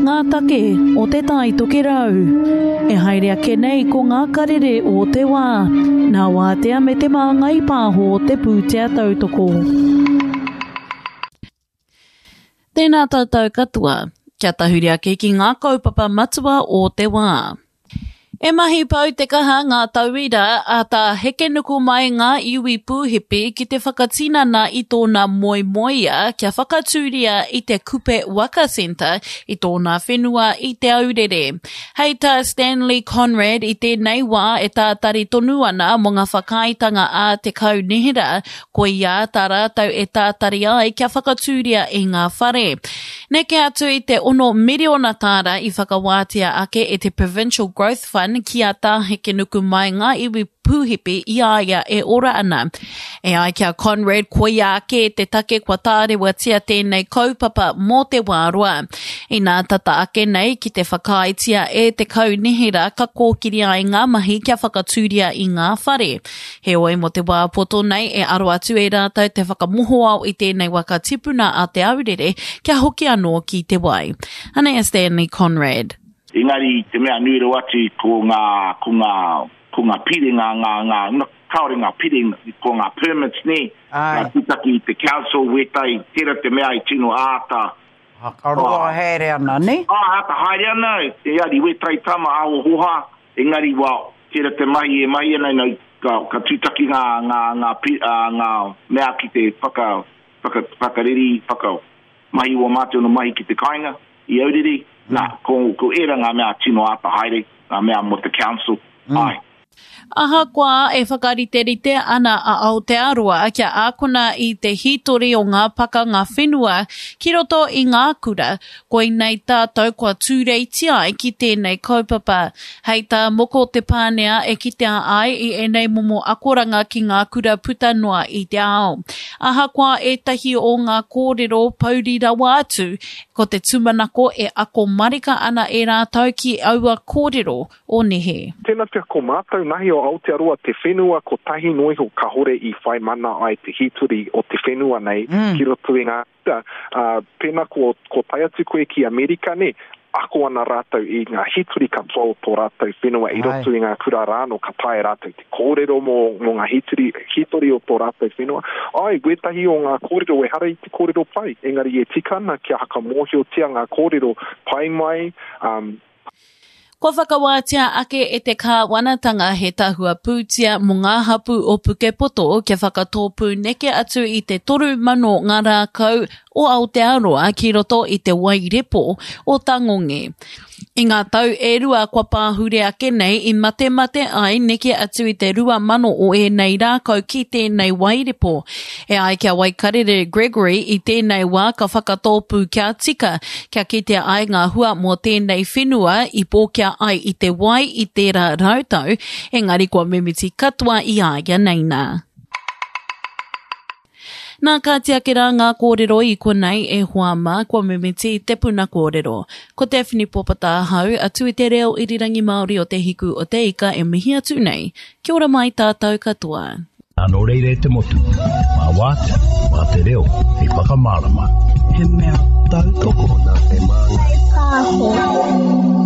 ngā take o Te Tai Tokerau. E haere ake nei ko ngā karere o te wā, nā Wātea me Te Māngai Pāho te pūtea tautoko. Tēnā tātou katoa, kia tahuri ake ki ngā kaupapa matua o te wā. E mahi pau te kaha ngā tauira a Tā Hekenuku mai ngā iwi pūhipi ki te whakatinana i tōna moemoeā kia whakatūria i te Kupe Waka Centre i tōna whenua i Te Aurere. Hei tā Stanley Conrad i tēnei wā e tātari tonu ana mō ngā whakaaetanga a te kaunihera Koiā tā rātou e tātari ai kia whakatūria i ngā whare. Neke atu i te ono miriona tāra i whakawātea ake e te Provincial Growth Fund ki a Tā Hekenukumai ngā iwi pūhipi i a ia e ora ana. E ai ki a Conrad, koia ake te take kua tārewatia tēnei kaupapa mō te wā roa. Inā tata ake nei ki te whakaaetia e te kaunihera ka kōkiri ai ngā mahi kia whakatūria i ngā whare. Heoi, mō te wā poto nei e aro atu e rātou te whakamohoao i tēnei waka tipuna a Te Aurere kia hoki anō ki te wai. Anei a Stanley Conrad. Engari te mea nui rawa atu ko ngā, ko ngā, ko ngā pire, ngā, ngā, ngā, no, kāore ngā pire, ko ngā permits nē, ngā tūtaki i te council wētahi, tērā te mea i tino āta, Roa haere ana, nē? Āta haere ana, engari wētahi tama aho hoha, Engari wa, tera te mahi e mahi ana, no, ka, ka tutaki nga, nga, nga, nga mea ki te whaka, whaka, whakareri, whaka mahi wa matou no mahi ki te kainga, i Aurere. Na, ko, ko era nga mea tino ata haere, nga mea mo te council, ae. Ahakoa e whakariterite ana a Aotearoa kia ākona i te hītori o ngā pakanga whenua ki roto i ngā kura, koinei tātou kua tūreitia ai ki tēnei kaupapa. Hei tā Moko Te Pānea e kitea ai i ēnei momo akoranga ki ngā kura puta noa i te ao. Ahakoa ētahi o ngā kōrero pouri rawa atu, ko te tūmanako e ako marika ana e rātou ki aua kōrero o nehe. Tena pea ko mātou nahi o Aotearoa te whenua kotahi noa iho kahore i whai mana ai te hītori o te whenua nei ki roto i ngā kura, ā, pena ko, ko tae atu koe ki Amerika nē, ako ana rātou i ngā hītori katoa o tō rātou whenua i roto i ngā kura rānō ka taea rātou te kōrero mō, mō ngā hītori, hītori o tō rātou whenua. Āe, wētahi o ngā kōrero ehara i te kōrero pai, engari e tika ana kia hakamōhiotia ngā kōrero pai mai, ā, Kua whakawātea ake e te kāwanatanga he tahua pūtea mō ngā hapū o Pukepoto kia whakatōpū neke atu i te 3,000 ngā rākau o Aotearoa ki roto i te wai repo o Tangonge. I ngā tau e rua kua pāhure ake nei i matemate ai neke atu i te 2,000 o ēnei rākau ki tēnei wairepo. E ai ki a Waikarere Gregory i tēnei wā ka whakatōpū kia tika, kia kitea ai ngā hua mō tēnei whenua i pōkia ai i te wai i tērā rautau, engari kua mimiti katoa i a ia nei nā. Nā, kāti ake rā ngā kōrero i konei e hoa mā, kua mimiti te puna kōrero. Ko Daphne Popata ahau, atu i te reo irirangi Māori o Te Hiku o Te Ika e mihi atu nei. Kia ora mai tātou katoa. Nō reira e te motu, mā Wātea, mā te reo hei whakamārama. He mea tautoko nā Te Māngai Pāho.